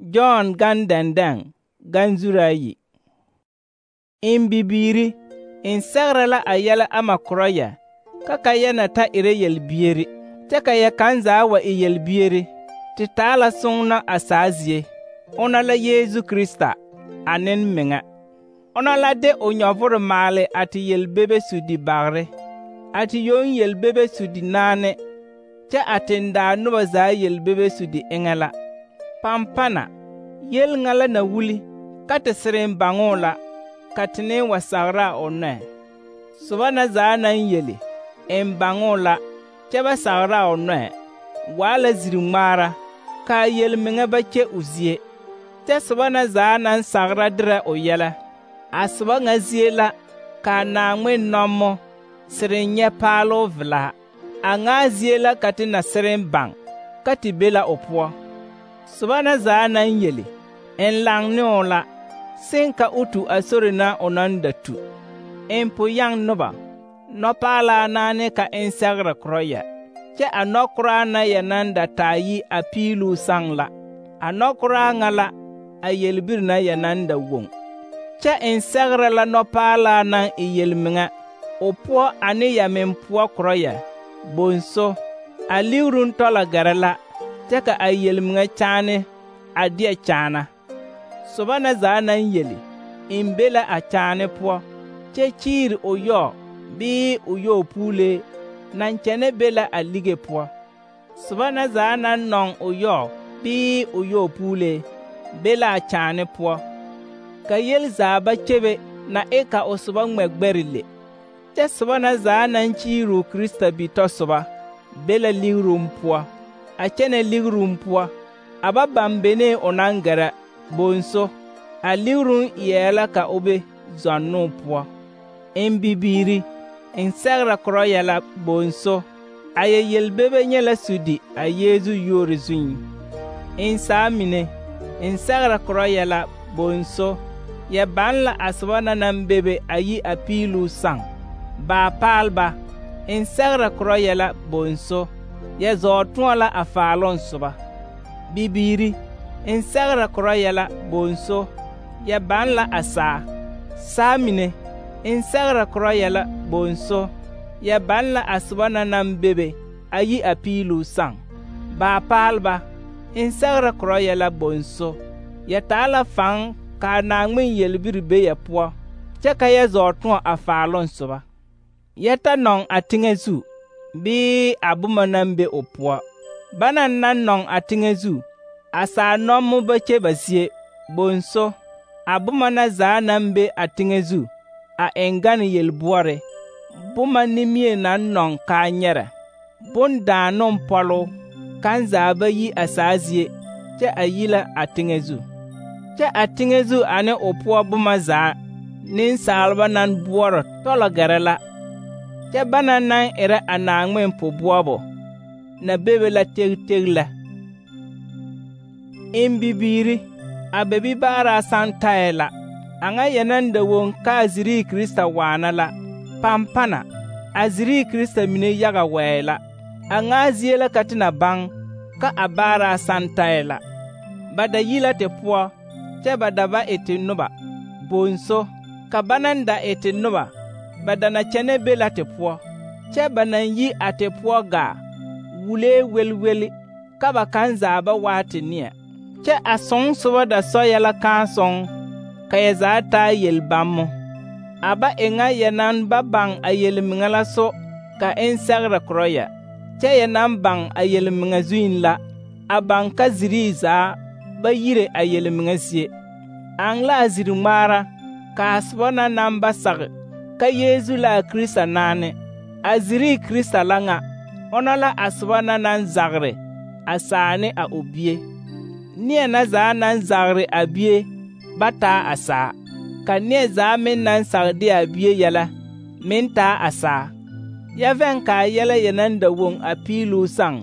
John gan dɛndɛŋ gan zuraayi yi. In bibiiri, in sɛgrɛ la a yɛlɛ ama korɔ yɛ, ka yɛ na ta erɛ yelbieri, kyɛ ka yɛ kaŋ zaa wa e yelbieri. Te taa la sõɔnɔ a saa zie. Ona la Yeezu Krista, a Nenmeŋa. Ona la de o nyɔvore maale a te yelbebe sudi bagre, a te yoŋ yelbebe sudi naane, kyɛ a tendaa noba zaa yelbebe sudi eŋɛ la. Pampana, yel ŋa la na wuli, ka te sereŋ baŋoo la, ka tene wa sagra a o nɔɛ. Soba na zaa naŋ yeli, eŋ baŋoo la, kyɛ ba sagra a o nɔɛ, waa la ziri-ŋmaara, kaa yelmeŋa ba kye o zie. Kyɛ soba na zaa naŋ sagra derɛ o yɛlɛ, a soba ŋa zie la kaa Naaŋmen nɔmo sereŋ nyɛ paaloo velaa. A ŋaa zie la ka te na sereŋ baŋ, ka te be la o poɔ. Soba na zaa naŋ yeli, eŋ laŋ ne o la, seŋ ka o tu a sori na o naŋ da tu. Eŋ po-yaŋ noba, nɔpaalaa naane ka eŋ sɛgrɛ korɔ yɛ, kyɛ a nɔkoraa na yɛ naŋ da taa yi a piiluu saŋ la. A nɔkoraa ŋa la a yelbiri na yɛ naŋ da woŋ. Kyɛ eŋ sɛgrɛ la nɔpaalaa naŋ e yelmeŋa, o poɔ ane yɛ meŋ poɔ korɔ yɛ, bonso, a ligruŋ tɔlɔ gɛrɛ la, kyɛ ka a yelmeŋa kyaane a deɛ kyaana. Soba na zaa naŋ yeli, eŋ be la a kyaane poɔ, kyɛ kyiiri o yɔɔ bii o yɔɔ puulee naŋ kyɛne be la a lige poɔ. Soba na zaa naŋ nɔŋ o yɔɔ bii o yɔɔ puulee be la a kyaane poɔ. Ka yel zaa ba kyebe na e ka o soba ŋmɛ gbɛre le. Kyɛ soba na zaa naŋ kyiiri o Krista bitɔsoba be la ligruŋ poɔ, a kyɛnɛ ligruŋ poɔ, a ba baŋ benee o naŋ gɛrɛ, bonso, a ligruŋ eɛɛ la ka o be zɔnnoo poɔ. In bibiiri, in sɛgrɛ korɔ yɛ la, bonso, a yɛ yelbebe nyɛ la sudi a Yeezu yuori zuŋ. In saa mine, in sɛgrɛ korɔ yɛ la, bonso, yɛ baŋ la a soba na naŋ bebe a yi a piiluu saŋ. Baapaalba, in sɛgrɛ korɔ yɛ la, bonso, yɛ zɔɔ tõɔ la a faaloŋ soba. Bibiiri, in sɛgrɛ korɔ yɛ la, bonso, yɛ baŋ la a saa. Saa mine, in sɛgrɛ korɔ yɛ la, bonso, yɛ baŋ la a soba na naŋ bebe a yi a piiluu saŋ. Baapaalba, in sɛgrɛ korɔ yɛ la, bonso, yɛ taa la faŋ kaa Naaŋmen yelbiri be yɛ poɔ, kyɛ ka yɛ zɔɔ tõɔ a faaloŋ soba. Yɛ ta nɔŋ a teŋɛ zu, bii a boma naŋ be o poɔ. Banaŋ naŋ nɔŋ a teŋɛ zu, a saa nɔmo ba kye ba zie, bonso, a boma na zaa naŋ be a teŋɛ zu, a eŋ gane yelboɔre, boma nimie naŋ nɔŋ kaa nyɛrɛ, bondaanoŋ pɔloo, kaŋ zaa ba yi a saa zie, kyɛ a yi la a teŋɛ zu. Kyɛ a teŋɛ zu ane o poɔ boma zaa, nensaalba naŋ boɔrɔ tɔlɔ gɛrɛ la, kyɛ banaŋ naŋ erɛ a Naaŋmen po-boɔbɔ na bebe la teg lɛ. In bibiiri, a bebibaaraa saŋ taɛ la, a ŋa yɛ naŋ da woŋ kaa zirii Krista waana la. Pampana, a zirii Krista mine yaga wɛɛ la. A ŋaa zie la ka te na baŋ ka a baaraa saŋ taɛ la. Ba da yi la te poɔ, kyɛ ba da ba e te noba, bonso, ka ba naŋ da e te noba, ba da na kyɛnɛ be la te poɔ, kyɛ ba naŋ yi a te poɔ gaa, wulee welweli, ka ba kaŋ zaa ba waa te neɛ. Kyɛ a sõŋ soba da sɔ yɛ la kãã sõŋ, ka yɛ zaa taa yel-bammo. A ba e ŋa yɛ naŋ ba baŋ a yelmeŋa la so ka eŋ sɛgrɛ korɔ yɛ, kyɛ yɛ naŋ baŋ a yelmeŋa zuiŋ la, a baŋ ka zirii zaa ba yire a yelmeŋa zie. Aŋ la a ziri-ŋmaara kaa soba na naŋ ba sage ka Yeezu la a Krista naane. A zirii Krista la ŋa, ona la a soba na naŋ zagre a saa ne a o bie. Neɛ na zaa naŋ zagre a bie ba taa a saa, ka neɛ zaa meŋ naŋ sage de a bie yɛlɛ meŋ taa a saa. Yɛ vɛŋ kaa yɛlɛ yɛ naŋ da woŋ a piiluu saŋ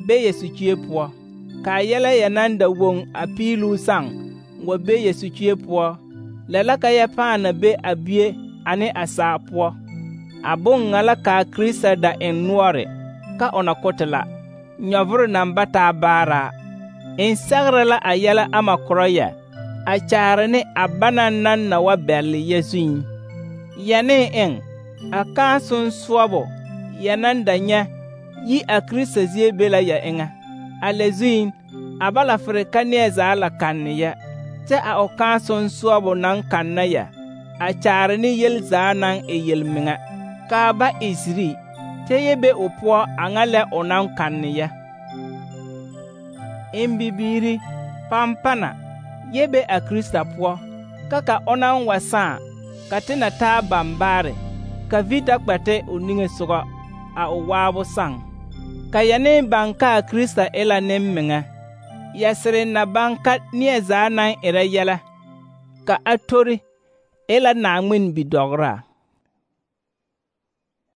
be yɛ sukue poɔ, kaa yɛlɛ yɛ naŋ da woŋ a piiluu saŋ wa be yɛ sukue poɔ, lɛ la ka yɛ pãã na be a bie ane a saa poɔ. A boŋ ŋa la kaa Krista da eŋ noɔre ka o na ko te la, nyɔvore naŋ ba taa baaraa. N sɛgrɛ la a yɛlɛ ama korɔ ya, a kyaare ne a banaŋ naŋ na wa bɛlle ya zuiŋ. Ya ne eŋ, a kãa sonsɔɔbo ya naŋ da nyɛ yi a Krista zie be la ya eŋɛ. A lɛ zuiŋ, a ba la fere ka neɛ zaa la kanne ya, kyɛ a o kãa sonsɔɔbo naŋ kanna ya, a kyaare ne yel zaa naŋ e yelmeŋa, kaa ba e ziri, kyɛ yɛ be o poɔ a ŋa lɛ o naŋ kanne ya. N bibiiri, pampana, yɛ be a Krista poɔ, ka o naŋ wa sãã, ka te na taa bambaare, ka vi da kpɛ te o niŋesogɔ, a o waabo sãŋ. Ka ya ne baŋ ka a Krista e la nemmeŋa, ya sere na baŋ ka neɛ zaa naŋ erɛ yɛlɛ, ka a tori, e la Naaŋmen bidɔgraa.